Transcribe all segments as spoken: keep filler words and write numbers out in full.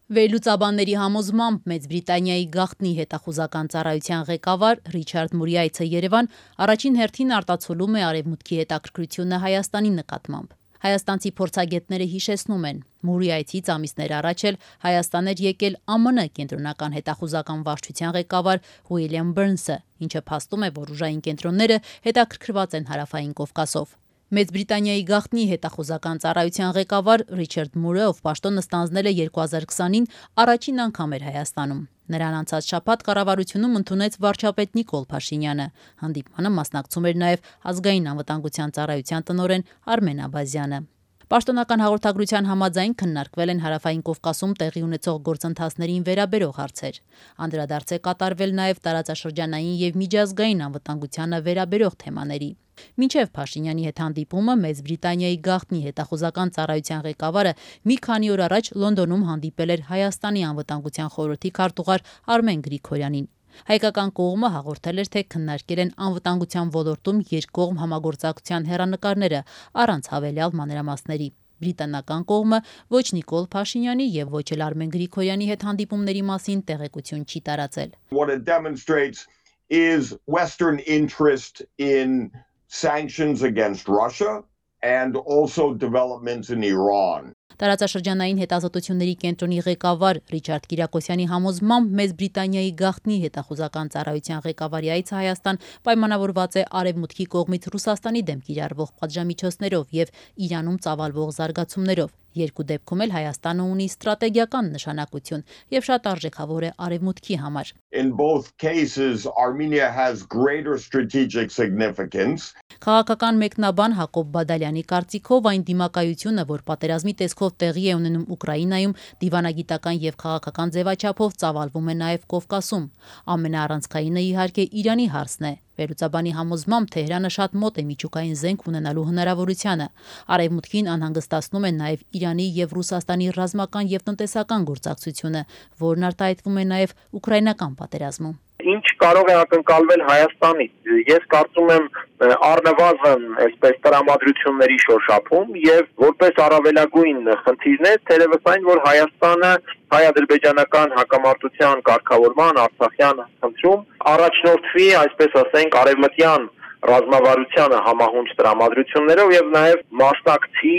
Վերլուծաբանների համոզմամբ Մեծ Բրիտանիայի գաղտնի հետախուզական ծառայության ղեկավար Ռիչարդ Մուրի այցը Երևան առաջին հերթին արտացոլում է Արևմուտքի հետաքրքրությունը Հայաստանի նկատմամբ։ Հայաստանցի փորձագետները հիշեցնում են, Մուրի այցից ամիսներ առաջ էլ Հայաստան էր եկել Ամն կենտրոնական հետախուզական վարչության ղեկավար Ուիլյամ Բըրնսը, ինչը փաստում է, որ ուժային կենտրոնները հետաքրքրված են Հարավային Կովկասով։ Մեծ Բրիտանիայի գաղտնի հետախուզական ծառայության ղեկավար Ռիչարդ Մուրը, ով պաշտոնը ստանձնել է երկու հազար քսանին, առաջին անգամ էր Հայաստանում։ Նրան անցած շաբաթ կառավարությունում ընդունեց վարչապետ Նիկոլ Փաշինյանը։ Հանդիպմանը մասնակցում էր նաև ազգային անվտանգության ծառայության տնօրեն Արմեն Աբազյանը։ Պաշտոնական հաղորդագրության համաձայն քննարկվել են Հարավային Կովկասում տեղի ունեցող գործընթացներին վերաբերող հարցեր։ Անդրադարձ է կատարվել նաև տարածաշրջանային և միջազգային անվտանգությանը վերաբերող թեմաների։ Մինչև Փաշինյանի հետ հանդիպումը Մեծ Բրիտանիայի գաղտնի հետախուզական ծառայության ղեկավարը մի քանի օր առաջ Լոնդոնում հանդիպել էր Հայաստանի անվտանգության խորհրդի քարտուղար Արմեն Գրիգորյանին։ Հայկական կողմը հաղորդել էր, թե քննարկել են անվտանգության ոլորտում երկկողմ համագործակցության հեռանկարները առանց հավելյալ մանրամասների։ Բրիտանական կողմը ոչ Նիկոլ Փաշինյանի և ոչ էլ Արմեն Գրիգորյանի հետ հանդիպումների մասին տեղեկություն չի տարածել։ What it demonstrates is Western interest in sanctions against Russia and also developments in Iran. Տարածաշրջանային հետազոտությունների կենտրոնի ղեկավար Ռիչարդ Կիրակոսյանի համոզմամբ Մեծ Բրիտանիայի գաղտնի հետախուզական ծառայության ղեկավարի այցը Հայաստան պայմանավորված է Արևմուտքի կողմից Ռուսաստանի դեմ կիրառվող պատժամիջոցներով և Իրանում ծավալվող զարգացումներով։ Երկու դեպքում էլ Հայաստանը ունի ստրատեգիական նշանակություն և շատ արժեքավոր է Արևմուտքի համար։ In both cases, Armenia has greater strategic significance. Քաղաքական մեկնաբան Հակոբ Բադալյանի կարծիքով այն դիմակայությունը, որ պատերազմի տեսքով տեղի է ունենում Ուկրաինայում, դիվանագիտական և քաղաքական ձևաչափով ծավալվում է նաև Կովկասում։ Ամենաառանցքայինը իհարկե Իրանի հարցն է։ Վերլուծաբանի համոզմամբ Թեհրանը շատ մոտ է միջուկային զենք ունենալու հնարավորությանը։ Արևմուտքին անհանգստացնում է նաև Իրանի և Ռուսաստանի ռազմական և տնտեսական գործակցությունը, որն արտահայտվում է նաև ուկրաինական պատերազմում։ Ինչ կարող է ակնկալվել Հայաստանից։ Ես կարծում եմ առնվազն այսպես տրամադրությունների շոշափում եւ որպես առավելագույն խնդիրներ թերևս այն, որ Հայաստանը հայ-ադրբեջանական հակամարտության կարգավորման Արցախյան խնդրում առաջնորդվի, այսպես ասենք, արևմտյան ռազմավարությանը համահունչ տրամադրություններով եւ նաեւ մասնակցի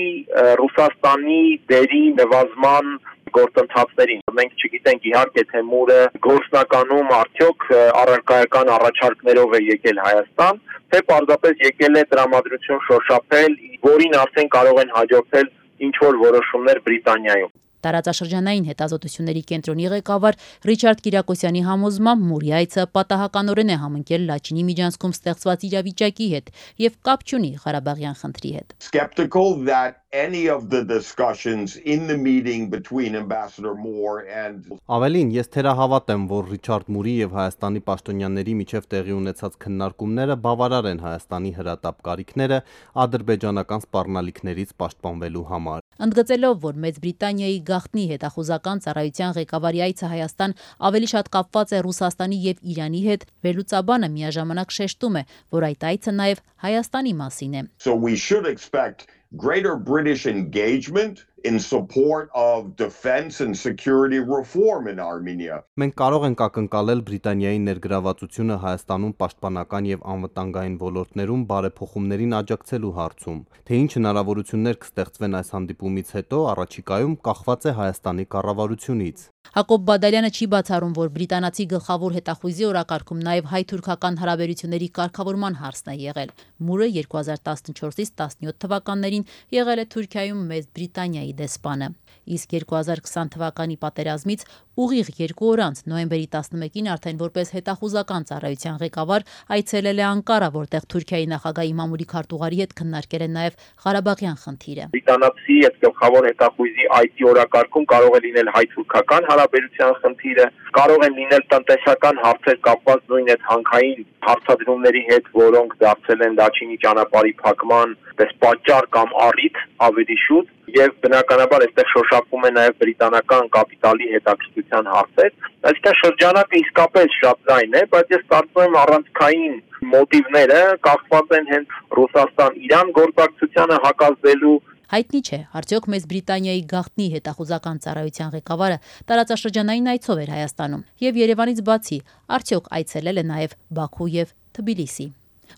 Ռուսաստանի դերի նվազման գործընթացներին։ Մենք չգիտենք իհարկե թե Մուրը գործնականում արդյոք առարկայական առաջարկներով է եկել Հայաստան, թե պարզապես եկել է տրամադրություն շոշափել, որին արդեն կարող են հաջորդել ինչ-որ որոշումներ Բրիտանիայում։ Տարածաշրջանային հետազոտությունների կենտրոնի ղեկավար Ռիչարդ Կիրակոսյանի համոզմամբ Մուրի այցը պատահականորեն է համընկել Լաչինի միջանցքում ստեղծված իրավիճակի հետ և կապ չունի Ղարաբաղյան խնդրի հետ։ Skeptical that any of the discussions in the meeting between Ambassador Moore and Ավելին, ես թերահավատ եմ, որ Ռիչարդ Մուրի և Հայաստանի պաշտոնյաների միջև տեղի ունեցած քննարկումները բավարար են Հայաստանի հրատապ կարիքները ադրբեջանական սպառնալիքներից պաշտպանվելու համար։ Ընդգծելով, որ Մեծ Բրիտանիայի գաղտնի հետախուզական ծառայության ղեկավարի այցը Հայաստան ավելի շատ կապված է Ռուսաստանի և Իրանի հետ, վերլուծաբանը միաժամանակ շեշտում է, որ այդ այցը նաև Հայաստանի մասին է։ So we should expect greater British engagement in support of defense and security reform in Armenia. Մենք կարող ենք ակնկալել Բրիտանիայի ներգրավվածությունը Հայաստանում պաշտպանական և անվտանգային ոլորտներում բարեփոխումներին աջակցելու հարցում։ Թե ինչ հնարավորություններ կստեղծվեն այս հանդիպումից հետո, առաջիկայում կախված է Հայաստանի կառավարությունից։ Հակոբ Բադալյանը չի բացառում, որ բրիտանացի գլխավոր հետախույզի օրակարգում նաև հայ-թուրքական հարաբերությունների կարգավորման հարցն է եղել։ Մուրը երկու հազար տասնչորսից տասնյոթ թվականներին եղել է Թուրքիայում Մեծ Բրիտանիայի դեսպանը։ Իսկ երկու հազար քսան թվականի պատերազմից ուղիղ երկու օր անց նոյեմբերի տասնմեկին արդեն որպես հետախուզական ծառայության ղեկավար այցելել է Անկարա, որտեղ Թուրքիայի նախագահ Իմամուլի քարտուղարի հետ քննարկել է նաև Ղարաբաղյան խնդիրը։ Բրիտանացի այդ գլխավոր հետախույզի այցի օրակարգում կարող է լինել հայ-թուրքական հարաբերության խնդիրը, կարող են լինել տնտեսական հարցեր կապված նույն այդ հանքային հարցադրումների հետ, որոնք դարձել են Լաչինի ճանապարհի փակման պես պատճառ կամ առիթ ավելի շուտ, եւ բնականաբար այստեղ շոշափվում է նաեւ բրիտանական կապիտալի հետաքրքրության հարցեր։ Այսինքն շրջանակը իսկապես շատ լայն է, բայց ես կարծում եմ առանցքային մոտիվները կախված են հենց Ռուսաստան-Իրան գործակցությանը հակազդելու Հայտնի չէ, արդյոք Մեծ Բրիտանիայի գաղտնի հետախուզական ծառայության ղեկավարը տարածաշրջանային այցով էր Հայաստանում եւ Երևանից բացի արդյոք այցելել է նաեւ Բաքու եւ Թբիլիսի։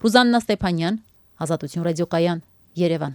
Ռուզաննա Ստեփանյան, Ազատություն ռադիոկայան, Երևան։